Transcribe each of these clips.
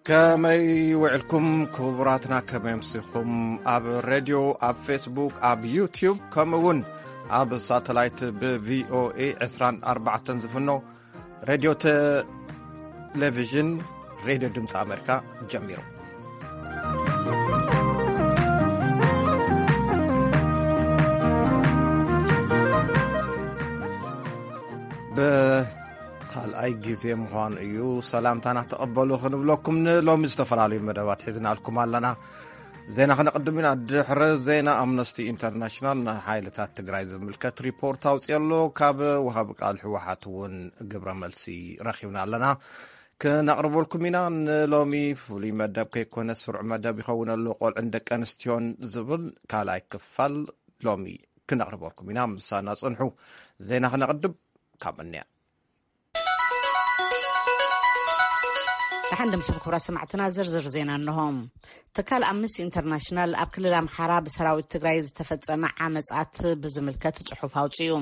ከመይ ውዕልኩም ክቡራትና፣ ከመይ ኣምሲኹም? ኣብ ሬድዮ፣ ኣብ ፌስቡክ፣ ኣብ ዩቲዩብ፣ ከምኡ እውን ኣብ ሳተላይት ብ ቪ ኦ ኤ ዕስራን ኣርባዕተን ዝፍኖ ሬድዮ ቴሌቪዥን፣ ሬድዮ ድምፂ ኣሜሪካ ጀሚሩ። ብኻልኣይ ግዜ ምዃኑ እዩ። ሰላምታና ተቐበሉ ክንብለኩም፣ ንሎሚ ዝተፈላለዩ መደባት ሒዝናልኩም ኣለና። ዜና ክነቕድም ኢና። ድሕሪ ዜና፣ ኣምነስቲ ኢንተርናሽናል ንሓይልታት ትግራይ ዝምልከት ሪፖርት ኣውፅኦ ኣሎ። ካብ ወሃቢ ቃል ህወሓት እውን ግብረ መልሲ ረኺብና ኣለና፣ ክነቕርበልኩም ኢና። ንሎሚ ፍሉይ መደብ ከይኮነ ስሩዕ መደብ ይኸውን ኣሎ፣ ቆልዕን ደቂ ኣንስትዮን ዝብል ካልኣይ ክፋል ሎሚ ክነቕርበልኩም ኢና። ምሳና ጽንሑ። ዜና ክነቕድም ካብ እንያ። ደሓን ደምስኹም ክቡራት ሰማዕትና፣ ዝርዝር ዜና እንሆ። ትካል ኣምነስቲ ኢንተርናሽናል ኣብ ክልል ኣምሓራ ብሰራዊት ትግራይ ዝተፈጸመ ዓመጻት ብዝምልከት ጽሑፍ ኣውጺኡ።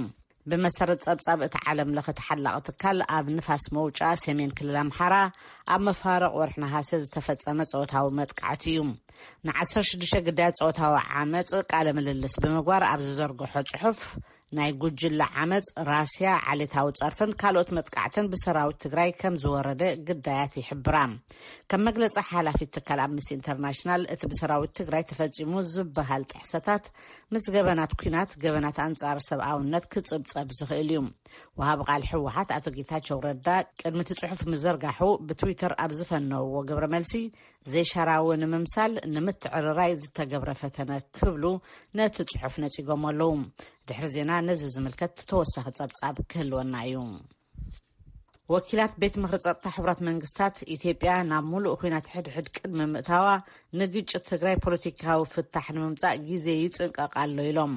ብመሰረት ጸብጻብ እቲ ዓለም ለኸ ተሓላቒ ትካል፣ ኣብ ንፋስ መውጫ ሰሜን ክልል ኣምሓራ ኣብ መፋርቕ ወርሒ ነሃሰ ዝተፈጸመ ጾታዊ መጥቃዕቲ እዩ። ንዓሰርተ ሽዱሽተ ግዳያት ጾታዊ ዓመጽ ቃለ ምልልስ ብምግባር ኣብ ዝዘርግሖ ጽሑፍ፣ ናይ ጉጅለ ዓመጽ ራስያ ዓሌታዊ ጸርፍን ካልኦት መጥቃዕትን ብሰራዊት ትግራይ ከም ዝወረደ ግዳያት ይሕብራ። ከም መግለጺ ሓላፊት ትካል ኣምነስቲ ኢንተርናሽናል፣ እቲ ብሰራዊት ትግራይ ተፈጺሙ ዝበሃል ጥሕሰታት ምስ ገበናት ኲናት፣ ገበናት ኣንጻር ሰብኣውነት ክጽብጸብ ዝኽእል እዩ። ወሃቢ ቃል ህወሓት ኣቶ ጌታቸው ረዳ ቅድሚ እቲ ጽሑፍ ምዝርጋሑ ብትዊተር ኣብ ዝፈነውዎ ግብረ መልሲ፣ ዘይሻራዊ ንምምሳል ንምትዕርራይ ዝተገብረ ፈተነ ክብሉ ነቲ ጽሑፍ ነጺጎሞ ኣለዉ። ድሕሪ ዜና ነዚ ዝምልከት ተወሳኺ ጸብጻብ ክህልወና እዩ። ወኪላት ቤት ምኽሪ ጸጥታ ሕቡራት መንግስታት፣ ኢትዮጵያ ናብ ሙሉእ ኲናት ሕድሕድ ቅድሚ ምእታዋ ንግጭት ትግራይ ፖለቲካዊ ፍታሕ ንምምጻእ ግዜ ይጽንቀቕ ኣሎ ኢሎም።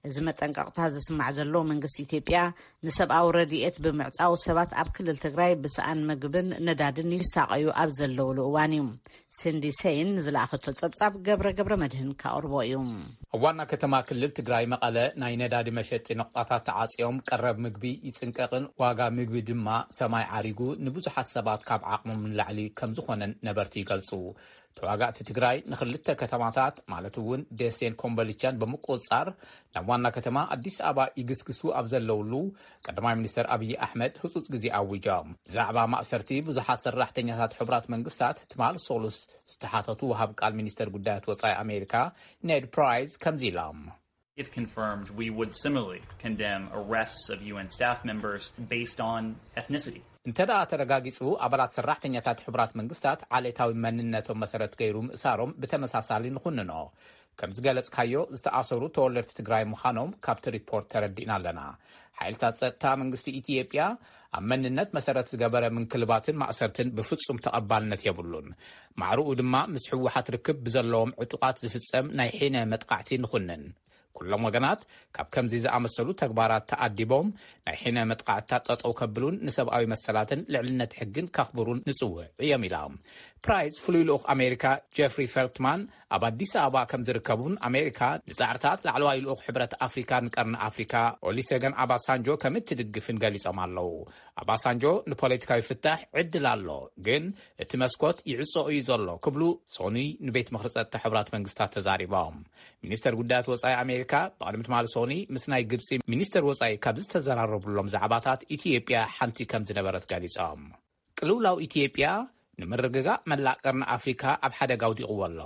እዚ መጠንቀቕታ ዝስማዕ ዘሎ መንግስቲ ኢትዮጵያ ንሰብኣዊ ረድኤት ብምዕጻው ሰባት ኣብ ክልል ትግራይ ብሰኣን ምግብን ነዳድን ይሳቐዩ ኣብ ዘለውሉ እዋን እዩ። ሲንዲ ሴይን ንዝለኣኸቶ ጸብጻብ ገብረ ገብረ መድህን ካቕርቦ እዩ። ኣብ ዋና ከተማ ክልል ትግራይ መቐለ ናይ ነዳዲ መሸጢ ነቑጣታት ተዓጽዮም ቀረብ ምግቢ ይጽንቀቕን ዋጋ ምግቢ ድማ ሰማይ ዓሪጉ ንብዙሓት ሰባት ካብ ዓቕሞም ንላዕሊ ከም ዝኾነን ነበርቲ ይገልጹ። ተዋጋእቲ ትግራይ ንኽልተ ከተማታት ማለት እውን ደሴን ኮምቦልቻን ብምቁጽጻር ናብ ዋና ከተማ ኣዲስ ኣበባ ይግስግሱ ኣብ ዘለውሉ፣ ቀዳማይ ሚኒስተር ኣብይ ኣሕመድ ህጹጽ ግዜ ኣዊጆም። ብዛዕባ ማእሰርቲ ብዙሓት ሰራሕተኛታት ሕቡራት መንግስታት ትማል ሶሉስ ዝተሓተቱ ወሃብ ቃል ሚኒስተር ጉዳያት ወጻኢ ኣሜሪካ ኔድ ፕራይስ ከምዚ ኢሎም። If confirmed, we would similarly condemn arrests of U N staff members based on ethnicity. እንተ ደኣ ተረጋጊጹ፣ ኣባላት ሰራሕተኛታት ሕቡራት መንግስታት ዓሌታዊ መንነቶም መሰረት ገይሩ ምእሳሮም ብተመሳሳሊ ንኹንኖ። ከም ዝገለጽካዮ፣ ዝተኣሰሩ ተወለድቲ ትግራይ ምዃኖም ካብቲ ሪፖርት ተረዲእና ኣለና። ሓይልታት ጸጥታ መንግስቲ ኢትዮጵያ ኣብ መንነት መሰረት ዝገበረ ምንክልባትን ማእሰርትን ብፍጹም ተቐባልነት የብሉን። ማዕርኡ ድማ ምስ ህወሓት ርክብ ብዘለዎም ዕጡቓት ዝፍጸም ናይ ሒነ መጥቃዕቲ ንኹንን። ኩሎም ወገናት ካብ ከምዚ ዝኣመሰሉ ተግባራት ተኣዲቦም ናይ ሒነ መጥቃዕትታት ጠጠው ከብሉን ንሰብኣዊ መሰላትን ልዕልነት ሕግን ከኽብሩን ንጽውዕ እዮም ኢላ። ፕራይስ ፍሉይ ልኡኽ ኣሜሪካ ጀፍሪ ፌልትማን ኣብ ኣዲስ ኣበባ ከም ዝርከቡን ኣሜሪካ ንጻዕርታት ላዕለዋይ ልኡኽ ሕብረት ኣፍሪካ ንቀርኒ ኣፍሪካ ኦሊሰገን ኣባሳንጆ ከም እትድግፍን ገሊጾም ኣለዉ። ኣባሳንጆ ንፖለቲካዊ ፍታሕ ዕድል ኣሎ፣ ግን እቲ መስኮት ይዕጾ እዩ ዘሎ ክብሉ ሶኒ ንቤት ምኽሪ ጸጥታ ሕቡራት መንግስታት ተዛሪቦም። ሚኒስተር ጉዳያት ወጻኢ ኣሜሪካ ብቕድሚ ትማሊ ሶኒ ምስ ናይ ግብጺ ሚኒስተር ወጻኢ ካብ ዝተዘራረቡሎም ዛዕባታት ኢትዮጵያ ሓንቲ ከም ዝነበረት ገሊጾም። ቅልውላው ኢትዮጵያ ንምርግጋእ መላእ ቀርኒ ኣፍሪካ ኣብ ሓደጋ ኣውዲቕዎ ኣሎ።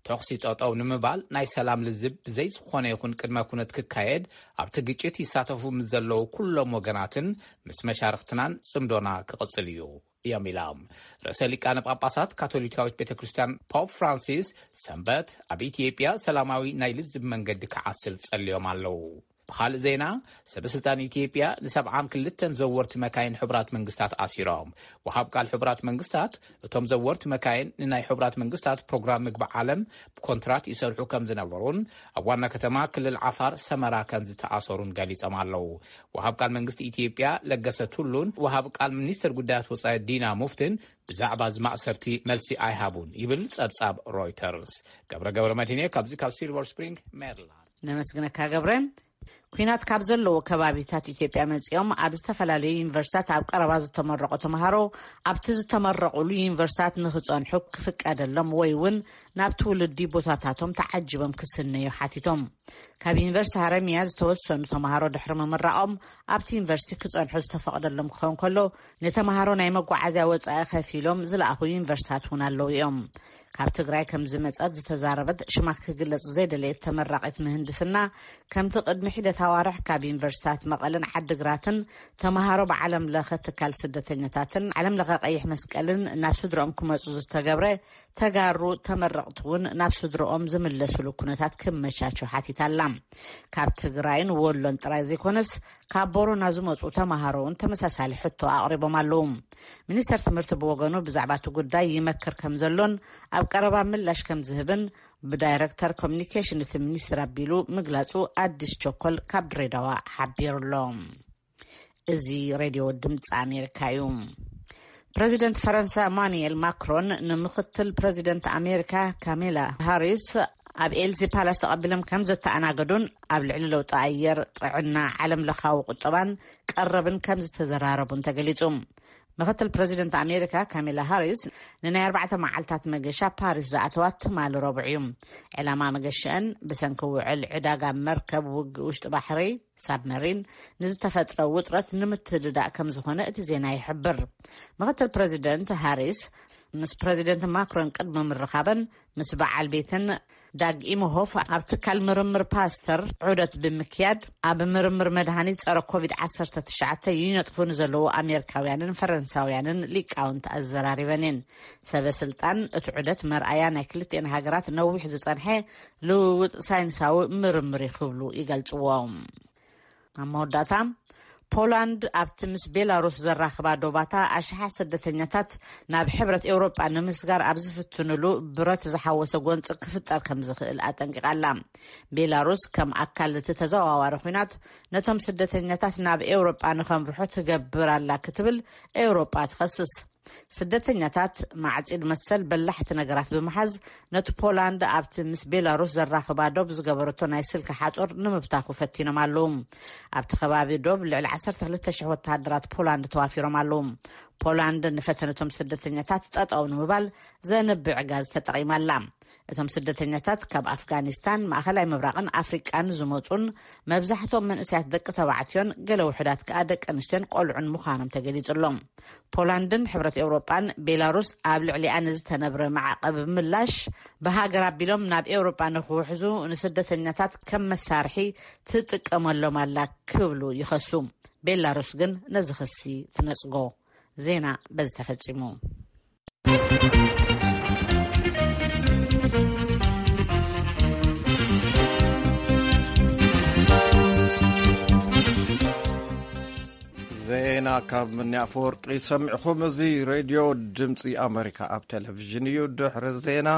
ተኹሲ ጠጠው ንምባል ናይ ሰላም ልዝብ ብዘይ ዝኾነ ይኹን ቅድመ ኩነት ክካየድ ኣብቲ ግጭት ይሳተፉ ምስ ዘለዉ ኩሎም ወገናትን ምስ መሻርኽትናን ጽምዶና ክቕጽል እዩ እዮም ኢሎም። ርእሰ ሊቃነ ጳጳሳት ካቶሊካዊት ቤተ ክርስቲያን ፖፕ ፍራንሲስ ሰንበት ኣብ ኢትዮጵያ ሰላማዊ ናይ ልዝብ መንገዲ ክዓስል ጸልዮም ኣለዉ። ብኻልእ ዜና፣ ሰበ ስልጣን ኢትዮጵያ ንሰብዓን ክልተን ዘወርቲ መካይን ሕቡራት መንግስታት ኣሲሮም። ወሃብ ቃል ሕቡራት መንግስታት፣ እቶም ዘወርቲ መካይን ንናይ ሕቡራት መንግስታት ፕሮግራም ምግቢ ዓለም ብኮንትራት ይሰርሑ ከም ዝነበሩን ኣብ ዋና ከተማ ክልል ዓፋር ሰመራ ከም ዝተኣሰሩን ገሊጾም ኣለዉ። ወሃብ ቃል መንግስቲ ኢትዮጵያ ለገሰ ቱሉን ወሃብ ቃል ሚኒስትር ጉዳያት ወጻኢ ዲና ሙፍትን ብዛዕባ እዚ ማእሰርቲ መልሲ ኣይሃቡን ይብል ጸብጻብ ሮይተርስ። ገብረ ገብረ መድህን እየ፣ ካብዚ ካብ ሲልቨር ስፕሪንግ ሜሪላንድ። ነመስግነካ ገብረ። ኩናት ካብ ዘለዎ ከባቢታት ኢትዮጵያ መጺኦም ኣብ ዝተፈላለዩ ዩኒቨርሲታት ኣብ ቀረባ ዝተመረቑ ተምሃሮ ኣብቲ ዝተመረቑሉ ዩኒቨርሲታት ንኽጸንሑ ክፍቀደሎም ወይ እውን ናብ ትውልዲ ቦታታቶም ተዓጅቦም ክስነዩ ሓቲቶም። ካብ ዩኒቨርሲቲ ሃረሚያ ዝተወሰኑ ተምሃሮ ድሕሪ ምምራቖም ኣብቲ ዩኒቨርሲቲ ክጸንሑ ዝተፈቕደሎም ክኸውን ከሎ፣ ንተምሃሮ ናይ መጓዓዝያ ወጻኢ ከፊሎም ዝለኣኹ ዩኒቨርሲታት እውን ኣለዉ እዮም። ካብ ትግራይ ከም ዝመጸት ዝተዛረበት ሽማ ክግለጽ ዘይደለየት ተመራቒት ምህንድስና፣ ከምቲ ቅድሚ ሒደት ኣዋርሕ ካብ ዩኒቨርሲታት መቐለን ዓድግራትን ተምሃሮ ብዓለም ለኸ ትካል ስደተኛታትን ዓለም ለኸ ቀይሕ መስቀልን ናብ ስድሮኦም ክመጹ ዝተገብረ፣ ተጋሩ ተመረቕቲ እውን ናብ ስድሮኦም ዝምለስሉ ኩነታት ክመቻቹ ሓቲታ ኣላ። ካብ ትግራይን ወሎን ጥራይ ዘይኮነስ፣ ካብ ቦረና ዝመጹ ተምሃሮ እውን ተመሳሳሊ ሕቶ ኣቕሪቦም ኣለዉ። ሚኒስተር ትምህርቲ ብወገኑ ብዛዕባ እቲ ጉዳይ ይመክር ከም ዘሎን ኣብ ቀረባ ምላሽ ከም ዝህብን ብዳይረክተር ኮሚኒኬሽን እቲ ሚኒስትር ኣቢሉ ምግላጹ ኣዲስ ቸኮል ካብ ድሬዳዋ ሓቢሩ ኣሎ። እዚ ሬድዮ ድምፂ ኣሜሪካ እዩ። ፕረዚደንት ፈረንሳ ኢማኑኤል ማክሮን ንምክትል ፕረዚደንት ኣሜሪካ ካሜላ ሃሪስ ኣብ ኤልሲ ፓላስ ተቐቢሎም ከም ዘተኣናገዱን ኣብ ልዕሊ ለውጢ ኣየር፣ ጥዕና፣ ዓለም ለኻዊ ቁጠባን ቀረብን ከም ዝተዘራረቡን ተገሊጹ። ምክትል ፕረዚደንት ኣሜሪካ ካሜላ ሃሪስ ንናይ ኣርባዕተ መዓልታት መገሻ ፓሪስ ዝኣተዋ ትማሊ ረቡዕ እዩ። ዕላማ መገሻአን ብሰንኪ ውዕል ዕዳጋ መርከብ፣ ውግእ ውሽጢ ባሕሪ፣ ሳብመሪን፣ ንዝተፈጥረ ውጥረት ንምትድዳእ ከም ዝኾነ እቲ ዜና ይሕብር። ምክትል ፕረዚደንት ሃሪስ ምስ ፕረዚደንት ማክሮን ቅድሚ ምርኻበን ምስ በዓል ቤተን ዳግ ኢምሆፍ ኣብ ትካል ምርምር ፓስተር ዑደት ብምክያድ፣ ኣብ ምርምር መድሃኒት ጸረ ኮቪድ ዓሰርተ ትሽዓተ ይነጥፉ ንዘለዉ ኣሜሪካውያንን ፈረንሳውያንን ሊቃውንቲ ኣዘራሪበን እየን። ሰበ ስልጣን እቲ ዑደት መርኣያ ናይ ክልቲኤን ሃገራት ነዊሕ ዝጸንሐ ልውውጥ ሳይንሳዊ ምርምር እዩ ክብሉ ይገልጽዎ። ኣብ መወዳእታ፣ ፖላንድ ኣብቲ ምስ ቤላሩስ ዘራኽባ ዶባታ ኣሽሓት ስደተኛታት ናብ ሕብረት ኤውሮጳ ንምስጋር ኣብ ዝፍትንሉ ብረት ዝሓወሰ ጎንፂ ክፍጠር ከም ዝኽእል ኣጠንቂቓ ኣላ። ቤላሩስ ከም ኣካል እቲ ተዘዋዋሪ ኲናት ነቶም ስደተኛታት ናብ ኤውሮጳ ንኸምርሑ ትገብር ኣላ ክትብል ኤውሮጳ ትኸስስ። ስደተኛታት ማዕጺድ መሰል በላሕቲ ነገራት ብምሓዝ ነቲ ፖላንድ ኣብቲ ምስ ቤላሩስ ዘራኽባ ዶብ ዝገበረቶ ናይ ስልኪ ሓጹር ንምብታኹ ፈቲኖም ኣለዉ። ኣብቲ ከባቢ ዶብ ልዕሊ ዓሰርተ ክልተ ሽሕ ወተሃደራት ፖላንድ ተዋፊሮም ኣለዉ። ፖላንድ ንፈተነቶም ስደተኛታት ጠጠው ንምባል ዘንብዕ ጋዝ ተጠቒማ ኣላ። እቶም ስደተኛታት ካብ ኣፍጋኒስታን፣ ማእኸላይ ምብራቕን ኣፍሪቃን ዝመጹን መብዛሕትኦም መንእሰያት ደቂ ተባዕትዮን ገለ ውሑዳት ከኣ ደቂ ኣንስትዮን ቆልዑን ምዃኖም ተገሊጹ ኣሎ። ፖላንድን ሕብረት ኤውሮጳን ቤላሩስ ኣብ ልዕሊኣ ንዝተነብረ ማዕቐብ ምላሽ ብሃገር ኣቢሎም ናብ ኤውሮጳ ንክውሕዙ ንስደተኛታት ከም መሳርሒ ትጥቀመሎም ኣላ ክብሉ ይኸሱ። ቤላሩስ ግን ነዚ ክሲ ትነጽጎ። ዜና በዚ ተፈጺሙ። ዜና ካብ ምኒ ኣፈወርቂ ሰሚዕኹም። እዚ ሬድዮ ድምፂ ኣሜሪካ ኣብ ቴሌቪዥን እዩ። ድሕሪ ዜና፣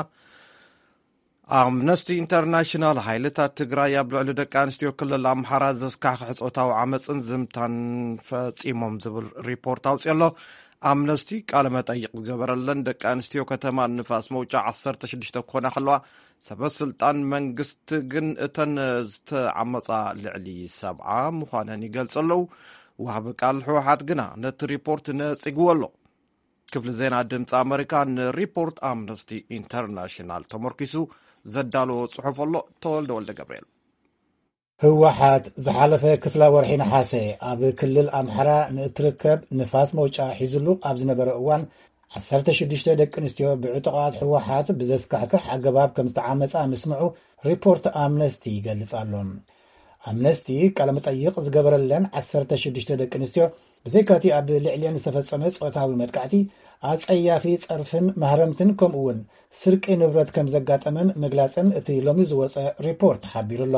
ኣምነስቲ ኢንተርናሽናል፣ ሓይልታት ትግራይ ኣብ ልዕሊ ደቂ ኣንስትዮ ክልል ኣምሓራ ዘስካሕክሕ ጾታዊ ዓመፅን ዝምታን ፈፂሞም ዝብል ሪፖርት ኣውፅኦ ኣሎ። ኣምነስቲ ቃለ መጠይቕ ዝገበረለን ደቂ ኣንስትዮ ከተማ ንፋስ መውጫ ዓሰርተ ሽዱሽተ ክኾና ከለዋ፣ ሰበ ስልጣን መንግስቲ ግን እተን ዝተዓመፃ ልዕሊ ሰብዓ ምዃነን ይገልፁ ኣለዉ። ወሃቢ ቃል ህወሓት ግና ነቲ ሪፖርት ነፂግዎ ኣሎ። ክፍሊ ዜና ድምፂ ኣመሪካ ንሪፖርት ኣምነስቲ ኢንተርናሽናል ተመርኪሱ ዘዳለዎ ጽሑፍ ኣሎ። ተወልደ ወልደ ገብርኤል። ህወሓት ዝሓለፈ ክፍላ ወርሒ ነሓሰ ኣብ ክልል ኣምሓራ ንእትርከብ ንፋስ መውጫ ሒዝሉ ኣብ ዝነበረ እዋን፣ ዓሰርተ ሽዱሽተ ደቂ ኣንስትዮ ብዕጡቓት ህወሓት ብዘስካሕክሕ ኣገባብ ከም ዝተዓመጻ ምስምዑ ሪፖርት ኣምነስቲ ይገልጽ ኣሎ። ኣምነስቲ ቃለ መጠይቕ ዝገበረለን ዓሰርተ ሽዱሽተ ደቂ ኣንስትዮ፣ ብዘይካቲ ኣብ ልዕሊአን ዝተፈጸመ ጾታዊ መጥቃዕቲ፣ ኣጸያፊ ጸርፍን ማህረምትን ከምኡ እውን ስርቂ ንብረት ከም ዘጋጠመን ምግላጸን እቲ ሎሚ ዝወጸ ሪፖርት ሓቢሩ ኣሎ።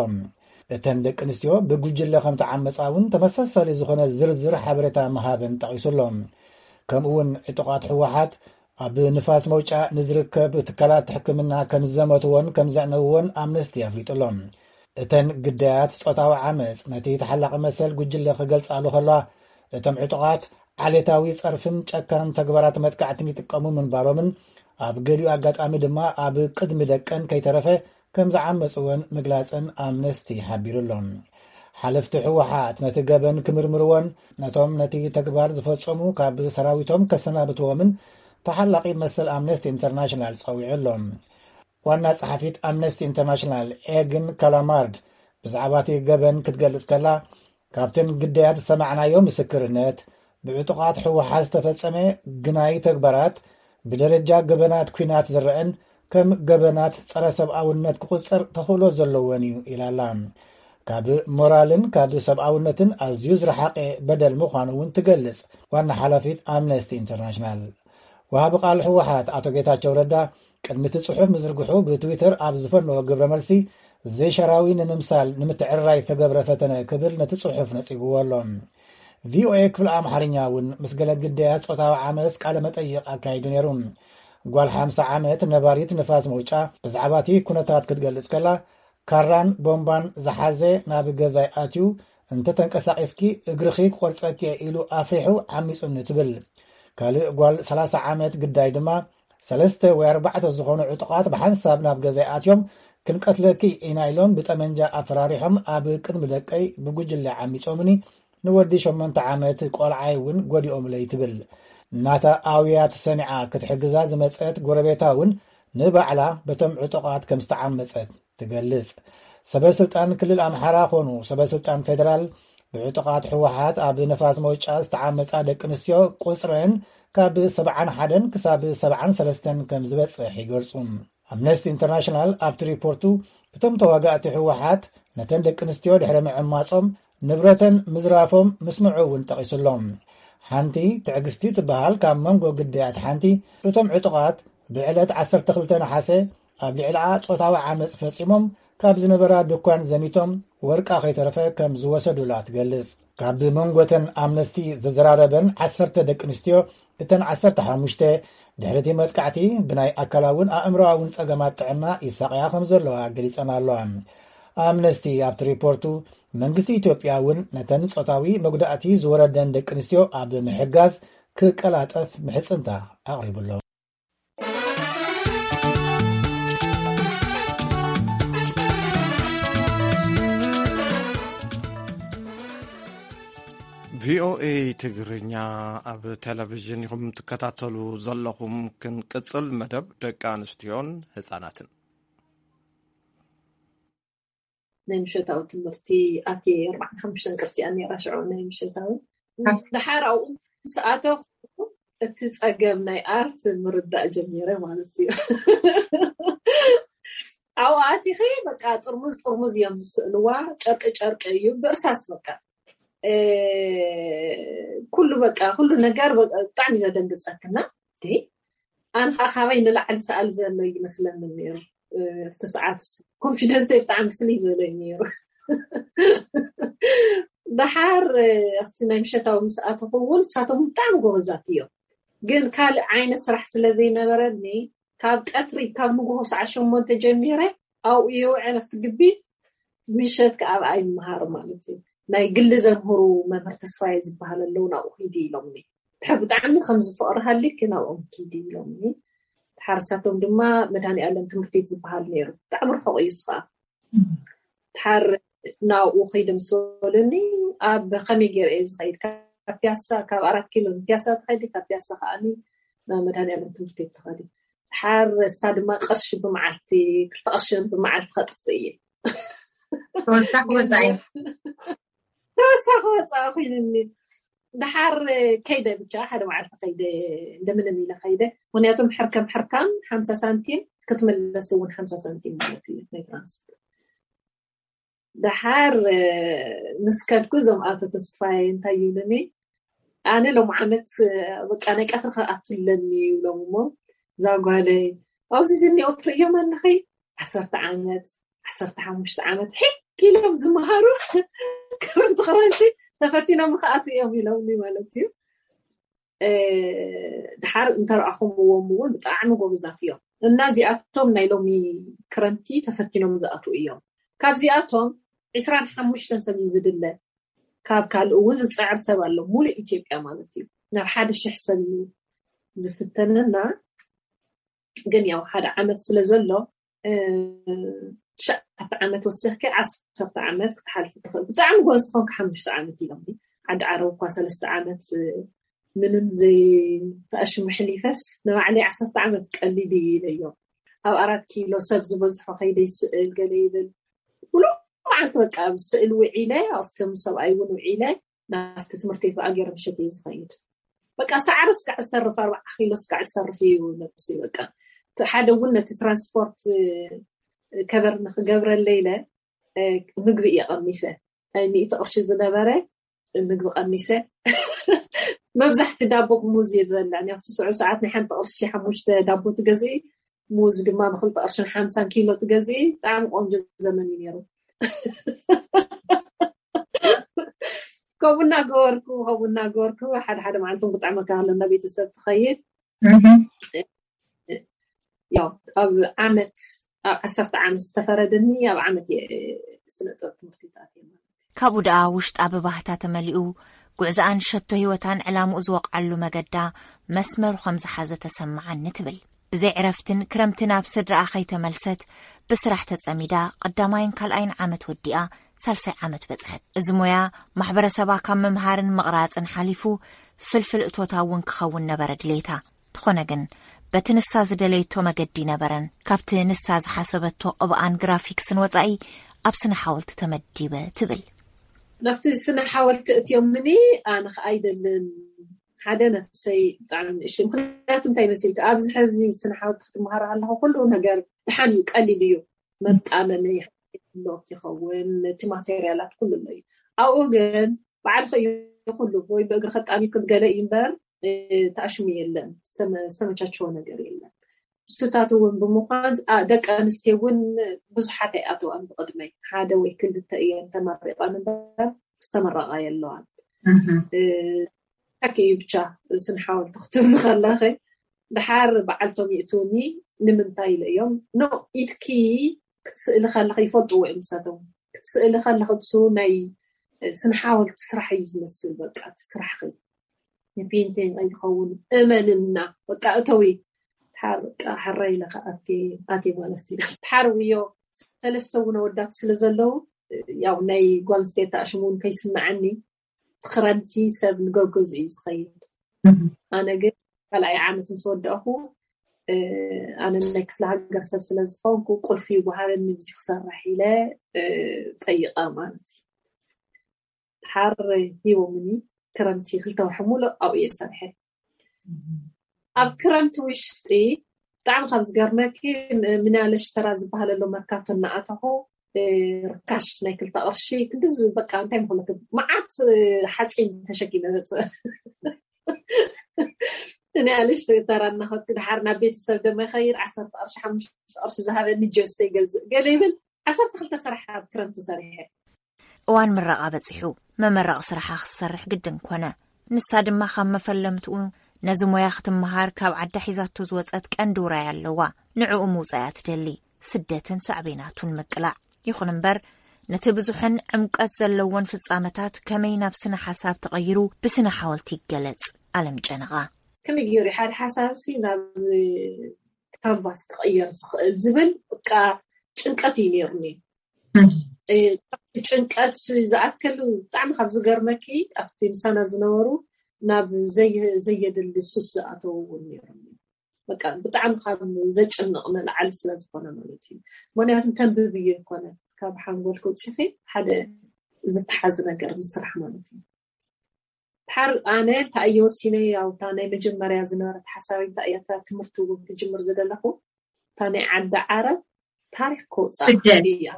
እተን ደቂ ኣንስትዮ ብጉጅለ ከም ተዓመጻ እውን ተመሳሳሊ ዝኾነ ዝርዝር ሓበሬታ ምሃበን ጠቒሱ ኣሎ። ከምኡ እውን ዕጡቓት ህወሓት ኣብ ንፋስ መውጫ ንዝርከብ ትካላት ሕክምና ከም ዝዘመትዎን ከም ዘዕነውዎን ኣምነስቲ ኣፍሊጡ ኣሎ። እተን ግዳያት ጾታዊ ዓመጽ ነቲ ተሓላቒ መሰል ጉጅለ ክገልጻሉ ከለዋ፣ እቶም ዕጡቓት ዓሌታዊ ጸርፍን ጨካን ተግባራት መጥቃዕትን ይጥቀሙ ምንባሮምን ኣብ ገሊኡ ኣጋጣሚ ድማ ኣብ ቅድሚ ደቀን ከይተረፈ ከም ዝዓመጽወን ምግላጸን ኣምነስቲ ሓቢሩ ኣሎ። ሓለፍቲ ህወሓት ነቲ ገበን ክምርምርዎን ነቶም ነቲ ተግባር ዝፈጸሙ ካብ ሰራዊቶም ከሰናብትዎምን ተሓላቒ መሰል ኣምነስቲ ኢንተርናሽናል ጸዊዑ ኣሎ። ዋና ጸሓፊት ኣምነስቲ ኢንተርናሽናል ኤግን ካላማርድ ብዛዕባ እቲ ገበን ክትገልጽ ከላ፣ ካብተን ግዳያት ዝሰማዕናዮ ምስክርነት፣ ብዕጡቓት ህወሓት ዝተፈጸመ ግናይ ተግባራት ብደረጃ ገበናት ኲናት ዝረአን ከም ገበናት ጸረ ሰብኣውነት ክቑጸር ተኽእሎ ዘለዎን እዩ ኢላ ኣላ። ካብ ሞራልን ካብ ሰብኣውነትን ኣዝዩ ዝረሓቐ በደል ምዃኑ እውን ትገልጽ ዋና ሓላፊት ኣምነስቲ ኢንተርናሽናል። ወሃቢ ቃል ህወሓት ኣቶ ጌታቸው ረዳ ቅድሚ እቲ ጽሑፍ ምዝርግሑ ብትዊተር ኣብ ዝፈነዎ ግብረ መልሲ፣ ዘይሻራዊ ንምምሳል ንምትዕርራይ ዝተገብረ ፈተነ ክብል ነቲ ጽሑፍ ነጺግዎ ኣሎ። ቪኦኤ ክፍሊ ኣምሓርኛ እውን ምስ ገለ ግዳያት ጾታዊ ዓመስ ቃለ መጠይቕ ኣካይዱ ነይሩ። ጓል ሓምሳ ዓመት ነባሪት ንፋስ መውጫ ብዛዕባ እቲ ኩነታት ክትገልጽ ከላ፣ ካራን ቦምባን ዝሓዘ ናብ ገዛይ ኣትዩ፣ "እንተ ተንቀሳቒስኪ እግርኺ ክቖርጸኪ እየ" ኢሉ ኣፍሪሑ ዓሚጹኒ ትብል። ካልእ ጓል ሰላሳ ዓመት ግዳይ ድማ፣ ሰለስተ ወይ ኣርባዕተ ዝኾኑ ዕጡቓት ብሓንሳብ ናብ ገዛይ ኣትዮም፣ "ክንቀትለኪ ኢና" ኢሎም ብጠመንጃ ኣፈራሪሖም ኣብ ቅድሚ ደቀይ ብጉጅለ ዓሚጾምኒ፣ ንወዲ ሸሞንተ ዓመት ቆልዓይ እውን ጎዲኦምለይ ትብል። ናታ ኣውያት ሰኒዓ ክትሕግዛ ዝመጸት ጎረቤታ እውን ንባዕላ በቶም ዕጡቓት ከም ዝተዓመጸት ትገልጽ። ሰበ ስልጣን ክልል ኣምሓራ ኮኑ ሰበ ስልጣን ፌደራል ብዕጡቓት ህወሓት ኣብ ነፋስ መውጫ ዝተዓመጻ ደቂ ኣንስትዮ ቁጽረን ካብ ሰብዓን ሓደን ክሳብ ሰብዓን ሰለስተን ከም ዝበጽሕ ይገልጹ። ኣምነስቲ ኢንተርናሽናል ኣብቲ ሪፖርቱ፣ እቶም ተዋጋእቲ ህወሓት ነተን ደቂ ኣንስትዮ ድሕሪ ምዕማጾም ንብረተን ምዝራፎም ምስምዑ እውን ጠቒሱ ኣሎ። ሓንቲ ትዕግስቲ ትበሃል ካብ መንጎ ግዳያት ሓንቲ፣ እቶም ዕጡቓት ብዕለት ዓሰርተ ክልተ ነሓሰ ኣብ ልዕሊኣ ጾታዊ ዓመጽ ፈጺሞም፣ ካብ ዝነበራ ድኳን ዘሚቶም ወርቃ ከይተረፈ ከም ዝወሰዱላ ትገልጽ። ካብ መንጎተን ኣምነስቲ ዘዘራረበን ዓሰርተ ደቂ ኣንስትዮ፣ እተን ዓሰርተ ሓሙሽተ ድሕሪ እቲ መጥቃዕቲ ብናይ ኣካላውን ኣእምሮኣውን ጸገማት ጥዕና ይሳቐያ ከም ዘለዋ ገሊጸን ኣለዋ። ኣምነስቲ ኣብቲ ሪፖርቱ፣ መንግስቲ ኢትዮጵያ እውን ነተን ጾታዊ መጉዳእቲ ዝወረደን ደቂ ኣንስትዮ ኣብ ምሕጋዝ ክቀላጠፍ ምሕጽንታ ኣቕሪቡ ኣሎ። ቪኦኤ ትግርኛ ኣብ ቴሌቪዥን ኢኹም ትከታተሉ ዘለኹም። ክንቅጽል መደብ ደቂ ኣንስትዮን ህጻናትን። ናይ ምሸታዊ ትምህርቲ ኣትየ ኣርባዕን ሓሙሽተን ቅርሲኣን ነይራ ሽዑ ናይ ምሸታዊ። ደሓር ኣብኡ ምስ ኣተኹ እቲ ጸገም ናይ ኣርት ምርዳእ ጀሚረ ማለት እዩ። ኣብኡ ኣቲኺ በቃ ጥርሙዝ ጥርሙዝ እዮም ዝስእልዋ፣ ጨርቂ ጨርቂ እዩ ብእርሳስ በቃ። እ፣ ኩሉ በቃ ኩሉ ነገር በቃ ብጣዕሚ ዘደንግጸክና። እ፣ ኣነ ከዓ ካባይ ንላዕሊ ሰኣል ዘሎ ይመስለኒ ነይሩ። እ፣ ኣብቲ ሰዓት እሱ ኮንፊደንሰይ ብጣዕሚ ፍልይ ዝበለ እዩ ነይሩ። ደሓር፣ እ፣ ኣብቲ ናይ ምሸታዊ ምስ ኣተኹ እውን ንሳቶም ብጣዕሚ ጎበዛት እዮም። ግን ካልእ ዓይነት ስራሕ ስለ ዘይነበረኒ ካብ ቀትሪ ካብ ንግሆ ሰዓት ሸሞንተ ጀሚረ ኣብኡ የውዕል ኣብቲ ግቢ፣ ምሸት ከኣ ኣብኣ ይመሃር ማለት እዩ። ናይ ግሊ ዘምህሩ መምህር ተስፋዬ ዝበሃል ኣለዉ፣ ናብኡ ኪዲ ኢሎምኒ። ድሕር ብጣዕሚ ከም ዝፍቕሪ ሃሊኪ ናብኦም ኪዲ ኢሎምኒ። ድሓር ንሳቶም ድማ መድሃኒኣለም ትምህርቲ ቤት ዝበሃል ነይሩ፣ ብጣዕሚ ርሑቕ እዩ እዚ ኸኣ። ድሓር ናብኡ ኸይደ ምስ በሉኒ፣ ኣብ ከመይ ገይረ እየ ዝኸይድ? ካብ ፒያሳ፣ ካብ ኣራት ኪሎ ንፒያሳ ትኸዲ፣ ካብ ፒያሳ ከኣኒ ናብ መድሃኒኣለም ትምህርቲ ቤት ትኸዲ። ድሓር እሳ ድማ ቅርሺ ብመዓልቲ፣ ክልተ ቅርሺ ብመዓልቲ ከጥፍእ እየ። ተወሳኺ ወጻኢ። ተወሳኺ ወጻኢ ኮይኑኒ። ድሓር ከይደ ብቻ፣ ሓደ መዓልቲ ከይደ፣ እንደምንም ኢለ ከይደ። ምኽንያቱም ሕርከም ሕርካም ሓምሳ ሳንቲም፣ ክትምለስ እውን ሓምሳ ሳንቲም ማለት እዩ ናይ ትራንስፖርት። ድሓር፣ እ፣ ምስ ከድኩ እዞም ኣቶ ተስፋዬ እንታይ ይብሉኒ? "ኣነ ሎም ዓመት፣ እ፣ በቃ ናይ ቀትሪ ክኣቱ ኣለኒ" ይብሎም እሞ፣ እዛ ጓለይ፣ "ኣብዚ ዝኒኦ ትርእዮም ኣለኺ? ዓሰርተ ዓመት፣ ዓሰርተ ሓሙሽተ ዓመት፣ ሒ!" ኪሎም ዝመሃሩ ክረምቲ ክረምቲ ተፈቲኖም ክኣቱ እዮም ኢሎምኒ ማለት እዩ። ድሓር እንተረኣኹምዎም እውን ብጣዕሚ ጎበዛት እዮም። እና እዚኣቶም ናይ ሎሚ ክረምቲ ተፈቲኖም ዝኣትዉ እዮም። ካብዚኣቶም ዕስራን ሓሙሽተን ሰብ እዩ ዝድለ። ካብ ካልእ እውን ዝፅዕር ሰብ ኣሎ። ሙሉእ ኢትዮጵያ ማለት እዩ። ናብ ሓደ ሽሕ ሰብ እዩ ዝፍተነና። ግን ያው ሓደ ዓመት ስለ ዘሎ ትሽዓተ ዓመት ወሲኽኪ ዓሰርተ ዓመት ክትሓልፊ ትኽእል። ብጣዕሚ ጎበዝ ዝኾንኪ ሓሙሽተ ዓመት ኢሎም። ዓዲ ዓረብ እኳ ሰለስተ ዓመት ምንም ዘይተኣሽሙ ሕሊፈስ ንባዕለይ ዓሰርተ ዓመት ቀሊል እዩ ኢለዮም። ኣብ ኣራት ኪሎ ሰብ ዝበዝሖ ከይደ ይስእል ገለ ይብል። ኩሉ መዓልቲ በቃ ኣብ ስእል ውዒለ ኣብቶም ሰብኣይ እውን ውዒለ ናብቲ ትምህርቲ ከዓ ገይረ ምሸት እየ ዝኸይድ። በቃ ሳዕሪ እስካዕ ዝተርፍ ኣርባዓ ኪሎ እስካዕ ዝተርፍ እዩ ነብሲ በቃ ሓደ እውን ነቲ ትራንስፖርት ከበር ንክገብረለ ኢለ ምግቢ እየ ቀኒሰ። ናይ ሚእቲ ቅርሺ ዝነበረ ምግቢ ቀኒሰ። መብዛሕቲ ዳቦ ብሙዝ እየ ዝበልዕ። ኣብቲ ስዑ ሰዓት ናይ ሓንቲ ቅርሺ ሓሙሽተ ዳቦ ትገዝኢ፣ ሙዝ ድማ ብክልተ ቅርሽን ሓምሳን ኪሎ ትገዝኢ። ብጣዕሚ ቆንጆ ዘመን እዩ ነይሩ። ከምኡ እናገበርኩ ከምኡ እናገበርኩ ሓደ ሓደ መዓልቲ ክጥዕመካ ከለና ቤተሰብ ትኸይድ። ያው ኣብ ዓመት ኣብ ዓሰርተ ዓመት ዝተፈረደኒ ኣብ ዓመት እየ ስነ ጥበብ ትምህርቲ ተኣትየ ማለት እዩ። ካብኡ ደኣ ውሽጣ ብባህታ ተመሊኡ ጉዕዝኣን ሸቶ ህይወታን ዕላምኡ ዝወቕዓሉ መገዳ መስመሩ ከም ዝሓዘ ተሰምዓኒ ትብል። ብዘይ ዕረፍትን ክረምትን ኣብ ስድራኣ ከይተመልሰት ብስራሕ ተጸሚዳ ቀዳማይን ካልኣይን ዓመት ወዲኣ ሳልሳይ ዓመት በጽሐት። እዚ ሞያ ማሕበረሰባ ካብ ምምሃርን ምቕራጽን ሓሊፉ ፍልፍል እቶታ እውን ክኸውን ነበረ ድሌታ። ተኾነ ግን በቲ ንሳ ዝደለየቶ መገዲ ነበረን። ካብቲ ንሳ ዝሓሰበቶ ቅብኣን ግራፊክስን ወጻኢ ኣብ ስነ ሓወልቲ ተመዲበ ትብል። ናብቲ ስነ ሓወልቲ እትዮምኒ ኣነ ከዓ ኣይደልን ሓደ ነፍሰይ ብጣዕሚ ንእሽተይ። ምክንያቱ እንታይ መሲልካ ኣብዚ ሕዚ ስነ ሓወልቲ ክትመሃር ኣለኹ ኩሉ ነገር ድሓን እዩ ቀሊል እዩ። መጣመሚ ብሎክ ይኸውን እቲ ማቴርያላት ኩሉ ኣሎ እዩ። ኣብኡ ግን ባዕልኸ እዩ ኩሉ ወይ ብእግሪ ከጣሚክን ገለ እዩ እምበር ተኣሽሙ የለን። ዝተመቻቸወ ነገር የለን። ስቱታት እውን ብምዃን ደቂ ኣንስትዮ እውን ብዙሓት ኣይኣተዋን ብቅድመይ ሓደ ወይ ክልተ እየን ተመሪቐን እምበር ዝተመረቓ የለዋን። ሓቂ እዩ ብቻ ስነ ሓወልቲ ክትብሉ ከለኸ ድሓር በዓልቶም ይእትውኒ ንምንታይ ኢለ እዮም ኖ ኢትኪ ክትስእሊ ከለኸ ይፈልጥዎ እዮም ንሳቶም ክትስእሊ ከለኸ ብሱ ናይ ስነ ሓወልቲ ስራሕ እዩ ዝመስል በቃ እቲ ስራሕኺ ንፔንቲንግ ኣይኸውን እመንና በቃ እተዊ ድሓር በቃ ሕራይ ኢለ ከኣቲ ኣቲ ማለት እዩ ድሓር ውዮ ሰለስተ እውን ኣወዳት ስለ ዘለዉ ያው ናይ ጓል ኣንስተይቲ ኣሽሙ እውን ከይስምዐኒ ክረምቲ ሰብ ንገገዝኡ እዩ ዝኸይድ። ኣነ ግን ካልኣይ ዓመት ምስ ወዳእኹ ኣነ ናይ ክፍለ ሃገር ሰብ ስለ ዝኾንኩ ቁልፊ ይወሃበኒ ብዚ ክሰርሕ ኢለ ጠይቐ ማለት እዩ። ድሓር ሂቦምኒ ክረምቲ ክልተ ወርሒ ሙሉእ ኣብኡ እየ ሰሪሐ። ኣብ ክረምቲ ውሽጢ ብጣዕሚ ካብ ዝገርመኪ ምናለሽ ተራ ዝበሃለሎ መርካቶ እናኣተኹ ርካሽ ናይ ክልተ ቅርሺ ክንዲ በቃ እንታይ ምክለክ መዓት ሓፂን ተሸኪመ መፅእ ንያለሽ ተራ እናኸድኩ ድሓር ናብ ቤተሰብ ደመ ይኸይድ ዓሰርተ ቅርሺ ሓሙሽተ ቅርሺ ዝሃበኒ ጀሶ ይገዝእ ገለ ይብል ዓሰርተ ክልተ ስራሕ ኣብ ክረምቲ ሰሪሐ እዋን ምረቓ በጺሑ መመረቒ ስራሓ ክትሰርሕ ግድን ኮነ። ንሳ ድማ ካብ መፈለምትኡ ነዚ ሞያ ክትመሃር ካብ ዓዳ ሒዛቶ ዝወጸት ቀንዲ ውራይ ኣለዋ። ንዕኡ ምውጻእ እያ ትደሊ። ስደትን ሳዕቤናቱን ምቅላዕ። ይኹን እምበር ነቲ ብዙሕን ዕምቀት ዘለዎን ፍጻመታት ከመይ ናብ ስነ ሓሳብ ተቐይሩ ብስነ ሓወልቲ ይገለጽ? ኣለም ጨነቓ። ከመይ ገይሩ ሓደ ሓሳብሲ ናብ ካንቫስ ክቕየር ዝኽእል ዝብል በቃ ጭንቀት እዩ ነይሩኒ። ጭንቀት ዝኣክል ብጣዕሚ ካብ ዝገርመኪ ኣብቲ ምሳና ዝነበሩ ናብ ዘየድሊ ሱስ ዝኣተው እውን ነይሮም በቃ ብጣዕሚ ካብ ዘጨንቕ ንላዕሊ ስለ ዝኾነ ማለት እዩ። ምክንያቱ ተንብብዮ ይኮነ ካብ ሓንጎል ከውፅኺ ሓደ ዝተሓዝ ነገር ምስራሕ ማለት እዩ። ድሓር ኣነ እንታይ እየ ወሲነ ያው እታ ናይ መጀመርያ ዝነበረት ሓሳበይ እንታይ እያ እታ ትምህርቲ እውን ክጅምር ዝደለኹ እታ ናይ ዓዲ ዓረብ ታሪክ ከውፃእ እያ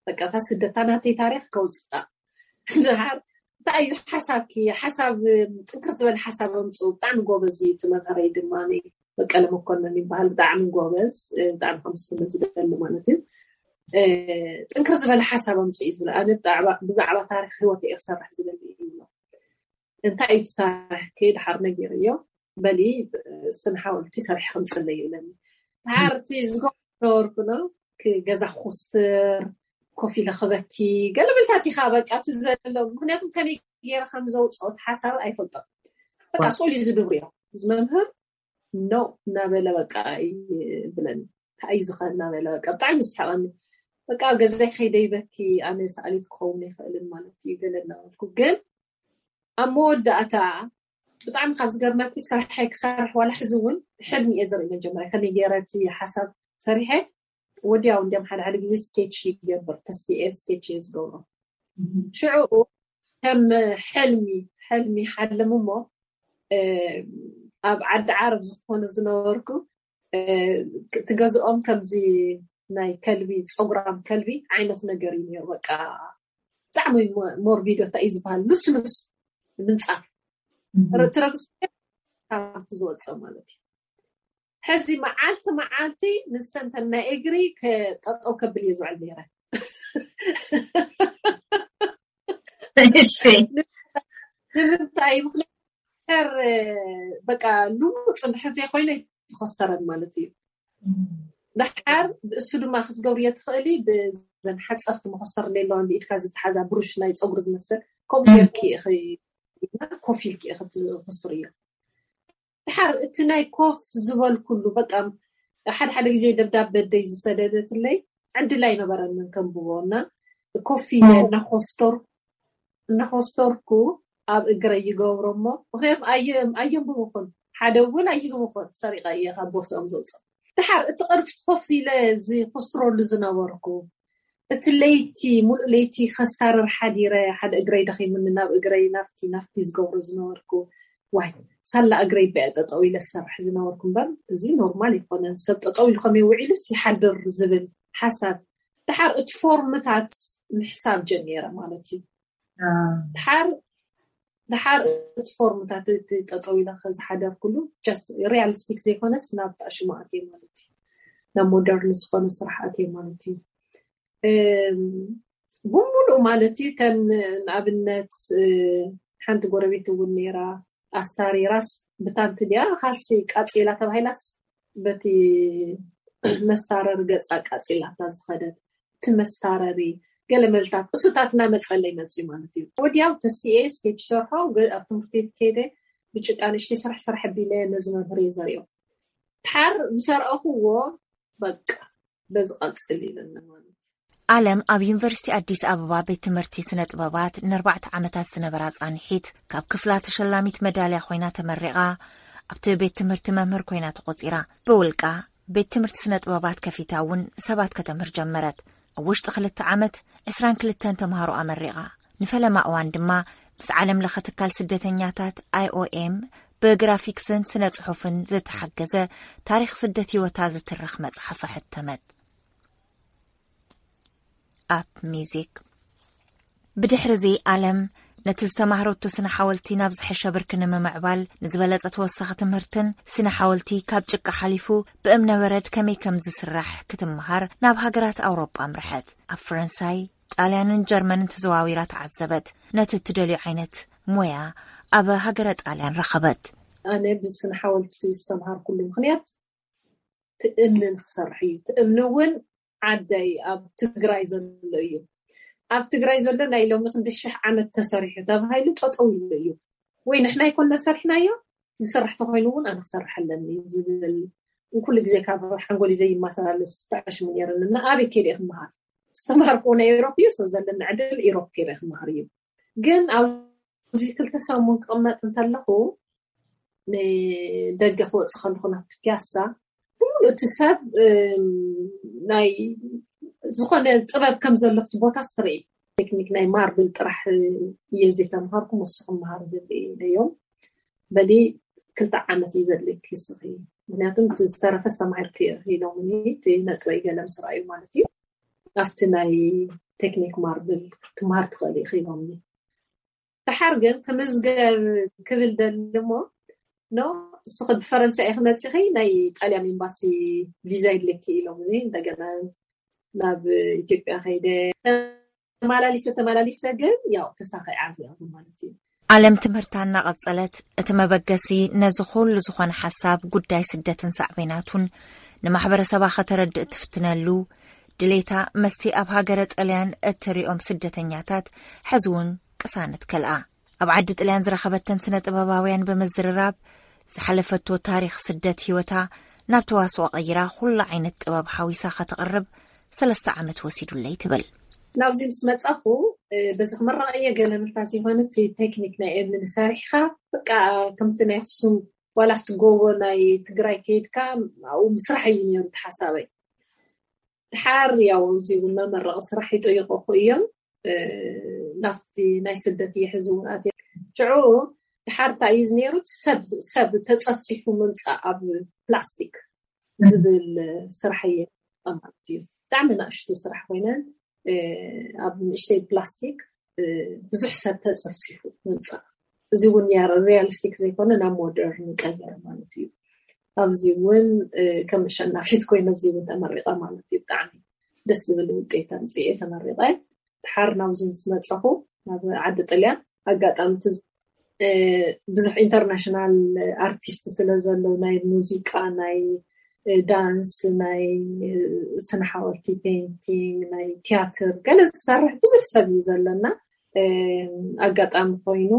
በቃ እታ ስደት እታ ናተይ ታሪክ ከውፃእ ድሓር እንታይ እዩ ሓሳብኪ ሓሳብ ጥንክር ዝበለ ሓሳብ ኣምፅኡ ብጣዕሚ ጎበዝ እዩ እቲ መምህረይ ድማ በቀለ መኮነን ይበሃል ብጣዕሚ ጎበዝ ብጣዕሚ ከምስግኖ ዝደሊ ማለት እዩ ጥንክር ዝበለ ሓሳብ ኣምፅኡ እዩ ዝብል። ኣነ ብዛዕባ ታሪክ ሂወት እየ ክሰርሕ ዝደሊ እዩ። እንታይ እዩ ታሪክ? ድሓር ነጊርዮ በሊ ስነ ሓወልቲ ሰሪሕ ከምፅለይ ይብለኒ። ድሓር እቲ ዝገበርኩ ነው፣ ገዛ ክኩስትር፣ ኮፍ ኢለ ክበኪ፣ ገለ ብልታት ኢኻ በቃ እቲ ዘሎ። ምክንያቱም ከመይ ገይረ ከም ዘውፅኦ እቲ ሓሳብ ኣይፈልጦን። በቃ ስእሉ እዩ ዝድብርዮ እዚ መምህር። ኖ እናበለ በቃ ይብለኒ። እንታይ እዩ ዝኸ እናበለ በቃ ብጣዕሚ ዝስሕቐኒ። በቃ ኣብ ገዛይ ከይደ ይበኪ፣ ኣነ ሰኣሊት ክኸውን ኣይኽእልን ማለት እዩ ገለ እናበልኩ። ግን ኣብ መወዳእታ ብጣዕሚ ካብ ዝገርመኪ ስራሐይ ክሰርሕ ዋላ ሕዚ እውን ሕልሚ እየ ዘርኢ። መጀመርያ ከመይ ገይረ እቲ ሓሳብ ሰሪሐ ወዲያው እንዲም ሓደ ሓደ ግዜ ስኬች ይገብር፣ ተስኤ ስኬች እየ ዝገብሮ። ሽዑ ከም ሕልሚ ሕልሚ ሓልም እሞ ኣብ ዓዲ ዓረብ ዝኾኑ ዝነበርኩ ትገዝኦም ከምዚ ናይ ከልቢ ፀጉራም ከልቢ ዓይነት ነገር እዩ ነይሩ። በቃ ብጣዕሚ ሞርቢዶ እንታይ እዩ ዝበሃል ልስሉስ ምንፃፍ ትረግፁ ዝወፅእ ማለት እዩ። ሕዚ መዓልቲ መዓልቲ ንሰንተን ናይ እግሪ ጠጠው ከብል እየ ዝውዕል ነይረ። ንምንታይ? ምክንያት በቃ ልሙፅ ድሕር ዘይኮይነ ተኸስተረን ማለት እዩ። ድሓር እሱ ድማ ክትገብርዮ ትኽእሊ ብዘን ሓፀርቲ መኸስተር ኣለዋ ብኢድካ ዝተሓዛ ብሩሽ ናይ ፀጉሪ ዝመስል ከምኡ ጌርኪ ኮፍ ኢልኪ ክትኸስትርዮ። ድሓር እቲ ናይ ኮፍ ዝበልኩሉ በቃ ሓደ ሓደ ግዜ ደብዳበ ኣደይ ዝሰደደትለይ ዕድል ኣይነበረንን ከንብቦ እና ኮፍ ኢለ እናኮስተር እናኮስተርኩ ኣብ እግረይ ይገብሮ እሞ ምክንያቱ ኣየንብብኹን ሓደ እውን ኣይግብኹን ሰሪቐ እየ ካብ ቦርሶኦም ዘውፅኦ። ድሓር እቲ ቅርፂ ኮፍ ኢለ ዝኮስትረሉ ዝነበርኩ እቲ ለይቲ ሙሉእ ለይቲ ከስታርር ሓዲረ ሓደ እግረይ ደኺሙኒ ናብ እግረይ ናፍቲ ናፍቲ ዝገብሮ ዝነበርኩ ዋይ ሳላ እግረይ በ ጠጠው ኢለ ዝሰርሕ ዝነበርኩ እምበር እዚ ኖርማል ይኮነን ሰብ ጠጠው ኢሉ ከመይ ውዒሉስ ይሓድር ዝብል ሓሳብ ድሓር እቲ ፎርምታት ምሕሳብ ጀሚረ ማለት እዩ። ድሓር ድሓር እቲ ፎርምታት እቲ ጠጠው ኢለ ዝሓደርኩሉ ሪያሊስቲክ ዘይኮነስ ናብ ታሽሙ ኣትየ ማለት እዩ። ናብ ሞደርን ዝኾነ ስራሕ ኣትየ ማለት እዩ። ብሙሉእ ማለት እዩ ተን ንኣብነት ሓንቲ ጎረቤት እውን ነይራ ኣስታሪራስ ብታንቲ ድያ ካልሲ ቃፂላ ተባሂላስ በቲ መስታረሪ ገፃ ቃፂላታ ዝኸደት እቲ መስታረሪ ገለ መልታት እሱታት እናመፀለይ መፅዩ ማለት እዩ። ወዲያው ተስኤ ስኬች ሰርሖ ኣብ ትምህርቲ ቤት ከይደ ብጭቃ ንእሽተይ ስራሕ ስራሕ ኣቢለ ነዚ መምህር እየ ዘሪኦ። ድሓር ዝሰርአኽዎ በቃ በዚ ቀፅል ይብለኒ ማለት እዩ። ኣለም ኣብ ዩኒቨርሲቲ ኣዲስ ኣበባ ቤት ትምህርቲ ስነ ጥበባት ንኣርባዕተ ዓመታት ዝነበራ ፃንሒት ካብ ክፍላ ተሸላሚት መዳልያ ኮይና ተመሪቓ ኣብቲ ቤት ትምህርቲ መምህር ኮይና ተቆፂራ። ብውልቃ ቤት ትምህርቲ ስነ ጥበባት ከፊታ እውን ሰባት ከተምህር ጀመረት። ኣብ ውሽጢ ክልተ ዓመት ዕስራን ክልተን ተምሃሮ ኣመሪቓ። ንፈለማ እዋን ድማ ምስ ዓለም ለኸ ትካል ስደተኛታት ኣይኦኤም ብግራፊክስን ስነ ጽሑፍን ዝተሓገዘ ታሪኽ ስደት ህይወታ ዝትርኽ መጽሓፍ ኣሕተመት። ኣብ ሚዚክ ብድሕሪ እዚ ኣለም ነቲ ዝተማህረቶ ስነ ሓወልቲ ናብ ዝሐሸ ብርኪ ንምምዕባል ንዝበለጸ ተወሳኺ ትምህርትን ስነ ሓወልቲ ካብ ጭቃ ሓሊፉ ብእምነበረድ ከመይ ከም ዝስራሕ ክትምሃር ናብ ሃገራት ኣውሮጳ ኣምርሐት። ኣብ ፈረንሳይ፣ ጣልያንን ጀርመንን ተዘዋዊራ ተዓዘበት። ነቲ እትደልዮ ዓይነት ሞያ ኣብ ሃገረ ጣልያን ረኸበት። ኣነ ብስነ ሓወልቲ ዝተምሃርኩሉ ምኽንያት ትእምኒ ንክሰርሕ እዩ። ትእምኒ እውን ዓደይ ኣብ ትግራይ ዘሎ እዩ። ኣብ ትግራይ ዘሎ ናይ ሎሚ ክንዲ ሽሕ ዓመት ተሰሪሑ ተባሂሉ ጠጠው ኢሉ እዩ። ወይ ንሕና ይኮንና ሰሪሕናዮ ዝስራሕ ተኮይኑ እውን ኣነ ክሰርሕ ኣለኒ ዝብል ኩሉ ግዜ ካብ ሓንጎሊ ዘይመሳላለስ ተኣሽሙ ነይርኒ እና ኣበይ ከይደ ክመሃር ዝተማሃርኩ ናይ ኤሮፕ እዩ ሰው ዘለኒ ዕድል ኤሮፕ ከይደ ክመሃር እዩ። ግን ኣብዚ ክልተ ሰሙን ክቕመጥ እንተለኹ ንደገ ክወፅእ ከለኹ ናብቲ ፒያሳ ብሙሉ እቲ ሰብ ናይ ዝኾነ ጥበብ ከም ዘሎ ኣብቲ ቦታ ስትርኢ ቴክኒክ ናይ ማርብል ጥራሕ እየ ዘይተምሃርኩ መሱ ክመሃር ደልዮም በሊ ክልተ ዓመት እዩ ዘድልክ ይስኺ ምክንያቱም ዝተረፈ ዝተማሂር ክኢሎምኒ እቲ ነጥበይ ገለ ምስ ረኣዩ ማለት እዩ ኣብቲ ናይ ቴክኒክ ማርብል ትምሃር ትኽእል ኢኺ ኢሎምኒ። ድሓር ግን ክምዝገብ ክብል ደሊ እሞ ኖ እስኺ ብፈረንሳ ኢኺ መፂኺ ናይ ጣልያን ኤምባሲ ቪዛ ይድልየኪ ኢሎምኒ እንደገና ናብ ኢትዮጵያ ከይደ ተመላሊሰ ተመላሊሰ ግን ያው ተሳኺዐ ዓብየ ማለት እዩ። ኣለም ትምህርታ እናቐጸለት፣ እቲ መበገሲ ነዚ ኩሉ ዝኾነ ሓሳብ ጉዳይ ስደትን ሳዕቤናቱን ንማሕበረሰባ ከተረድእ ትፍትነሉ ድሌታ፣ መስቲ ኣብ ሃገረ ጥልያን እትሪኦም ስደተኛታት ሕዚ እውን ቅሳነት ከልኣ። ኣብ ዓዲ ጥልያን ዝረኸበተን ስነ ጥበባውያን ብምዝርራብ፣ ዝሓለፈቶ ታሪኽ ስደት ህይወታ ናብ ተዋስኦ ቀይራ፣ ኩሉ ዓይነት ጥበብ ሓዊሳ ከተቕርብ ሰለስተ ዓመት ወሲዱለይ ትብል። ናብዚ ምስ መጻኹ፣ እ፣ በዚ ክምረቕ እየ ገለ ምልካ ዘይኮነ፣ እቲ ቴክኒክ ናይ እምኒ ሰሪሕኻ፣ በቃ፣ ከምቲ ናይ ኣኽሱም ዋላ ኣብቲ ጎቦ ናይ ትግራይ ከይድካ ኣብኡ ምስራሕ እዩ ነይሩ እቲ ሓሳበይ። ድሓር ያው እዚ እውን መመረቒ ስራሕ ይጠይቑኹ እዮም። እ፣ ናብቲ ናይ ስደት እየ ሕዚ እውን ኣትየ። ሽዑ ድሓር እንታይ እዩ ነይሩ? ሰብ፣ ሰብ ተጸፍጺፉ ምምጻእ ኣብ ፕላስቲክ ዝብል ስራሕ እየ ማለት እዩ። ብጣዕሚ ንእሽቱ ስራሕ ኮይነን፣ እ፣ ኣብ ንእሽተይ ፕላስቲክ፣ እ፣ ብዙሕ ሰብ ተጸፍጺፉ ምምጻእ። እዚ እውን ያ ሪያሊስቲክ ዘይኮነ ናብ ሞደርን ቀየረ ማለት እዩ። ኣብዚ እውን፣ እ፣ ከም ኣሸናፊት ኮይነ ኣብዚ እውን ተመሪቐ ማለት እዩ። ብጣዕሚ ደስ ዝብል ውጤት ኣምፅኤ ተመሪቐ። ድሓር ናብዚ ምስ መፀኹ ናብ ዓዲ ጥልያን ኣጋጣሚ እቲ፣ እ፣ ብዙሕ ኢንተርናሽናል ኣርቲስት ስለ ዘለዉ ናይ ሙዚቃ፣ ናይ፣ እ፣ ዳንስ፣ ናይ፣ እ፣ ስነ ሓወልቲ፣ ፔይንቲንግ፣ ናይ ቲያትር ገለ ዝሰርሕ ብዙሕ ሰብ እዩ ዘለና። እ፣ ኣጋጣሚ ኮይኑ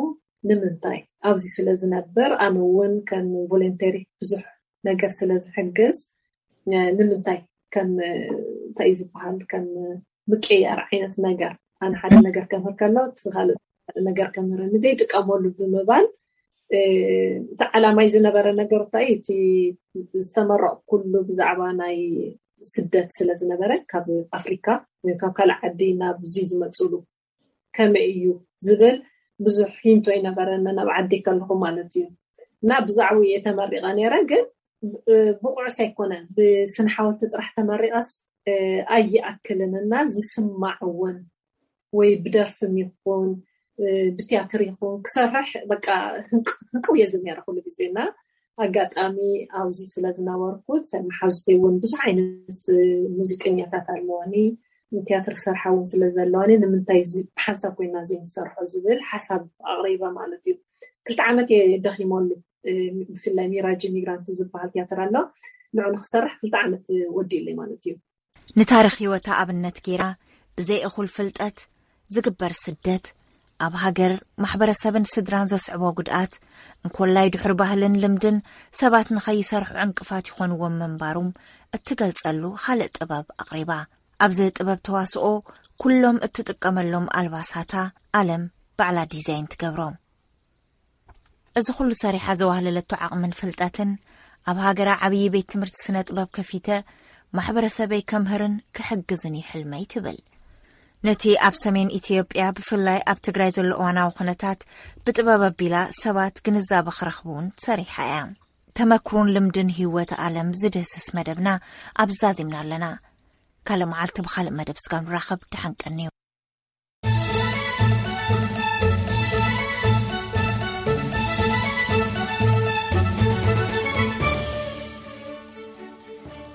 ንምንታይ ኣብዚ ስለ ዝነብር ኣነ እውን ከም ቮለንተሪ ብዙሕ ነገር ስለ ዝሕግዝ፣ እ፣ ንምንታይ ከም፣ እ፣ እንታይ እዩ ዝበሃል፣ ከም ምቅያር ዓይነት ነገር፣ ኣነ ሓደ ነገር ከምህር ከሎ እቲ ካልእ ነገር ከምህረኒ ዘይጥቀመሉ ብምባል፣ እ፣ እቲ ዓላማይ ዝነበረ ነገር እንታይ እቲ ዝተመረቕኩሉ ብዛዕባ ናይ ስደት ስለ ዝነበረ ካብ ኣፍሪካ ወይ ካብ ካልእ ዓዲ ናብዚ ዝመፅሉ ከመይ እዩ ዝብል ብዙሕ ሂንቶ ይነበረኒ ናብ ዓዲ ከለኹ ማለት እዩ። እና ብዛዕባኡ እየ ተመሪቐ ነይረ፣ ግን፣ እ፣ ብቑዕስ ኣይኮነን። ብስነ ሓወልቲ ጥራሕ ተመሪቐስ፣ እ፣ ኣይኣክልን እና ዝስማዕ እውን ወይ ብደርፍም ይኹን፣ እ፣ ብትያትር ይኹን ክሰርሕ በቃ ህንቅ-፣ ህንቅው እየ ዝብል ነይረ ኩሉ ግዜ። እና ኣጋጣሚ ኣብዚ ስለ ዝነበርኩ፣ መሓዙተይ እውን ብዙሕ ዓይነት፣ እ፣ ሙዚቀኛታት ኣለዋኒ፣ ቲያትር ዝሰርሓ እውን ስለ ዘለዋኒ፣ ንምንታይ እዚ ብሓንሳብ ኮይና ዘይንሰርሖ ዝብል ሓሳብ ኣቕሪበ ማለት እዩ። ክልተ ዓመት እየ ደኺመሉ፣ እ፣ ብፍላይ ሚራጅ ሚግራንት ዝበሃል ቲያትር ኣሎ፣ ንዑ ንክሰርሕ ክልተ ዓመት ወዲኡለይ ማለት እዩ። ንታሪኽ ህይወታ ኣብነት ገይራ፣ ብዘይ እኹል ፍልጠት ዝግበር ስደት፣ ኣብ ሃገር፣ ማሕበረሰብን ስድራን ዘስዕቦ ጉድኣት፣ እንኮላይ ድሕሪ ባህልን ልምድን ሰባት ንኸይሰርሑ ዕንቅፋት ይኾንዎም ምንባሮም እትገልጸሉ ካልእ ጥበብ ኣቕሪባ። ኣብዚ ጥበብ ተዋስኦ፣ ኩሎም እትጥቀመሎም ኣልባሳታ ኣለም ባዕላ ዲዛይን ትገብሮም። እዚ ኩሉ ሰሪሓ ዘዋህለለቶ ዓቕምን ፍልጠትን፣ ኣብ ሃገራ ዓብዪ ቤት ትምህርቲ ስነ ጥበብ ከፊተ፣ ማሕበረሰበይ ከምህርን ክሕግዝን እዩ ሕልመይ ትብል። ነቲ ኣብ ሰሜን ኢትዮጵያ፣ ብፍላይ ኣብ ትግራይ ዘሎ እዋናዊ ኩነታት ብጥበብ ኣቢላ ሰባት ግንዛበ ክረኽቡ እውን ሰሪሓ እያ። ተመክሮን ልምድን ህይወት ኣለም ዝድህስስ መደብና ኣብ ዛዚምና ኣለና። ካልእ መዓልቲ ብኻልእ መደብ ስጋብ ንራኸብ፣ ደሓን ቀንዩ።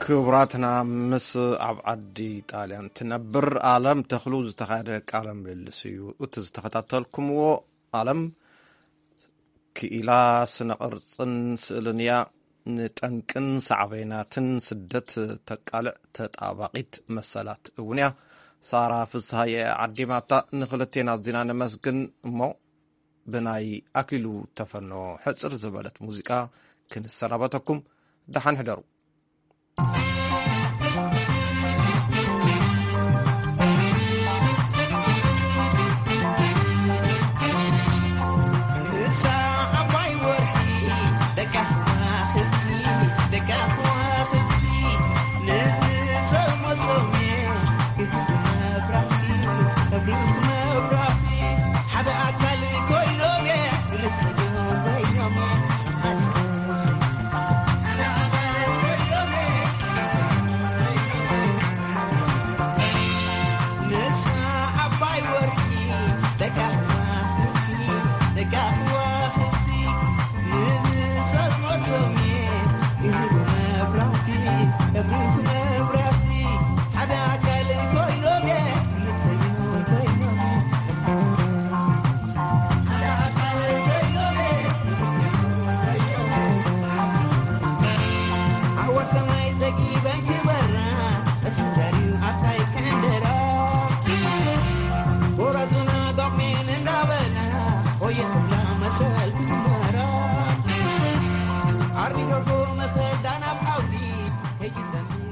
ክቡራትና፣ ምስ ኣብ ዓዲ ጣልያን ትነብር ኣለም ተኽሉ ዝተኻየደ ቃለ ምልልስ እዩ እቲ ዝተኸታተልኩምዎ። ኣለም ክኢላ ስነ ቅርጽን ስእልን እያ። ንጠንቅን ሳዕቤናትን ስደት ተቃልዕ ተጣባቂት መሰላት እውን እያ። ሳራ ፍስሃየ ዓዲማታ። ንክልቴና ኣዚና ነመስግን እሞ ብናይ ኣክሊሉ ተፈኖ ሕጽር ዝበለት ሙዚቃ ክንሰናበተኩም። ደሓን ሕደሩ።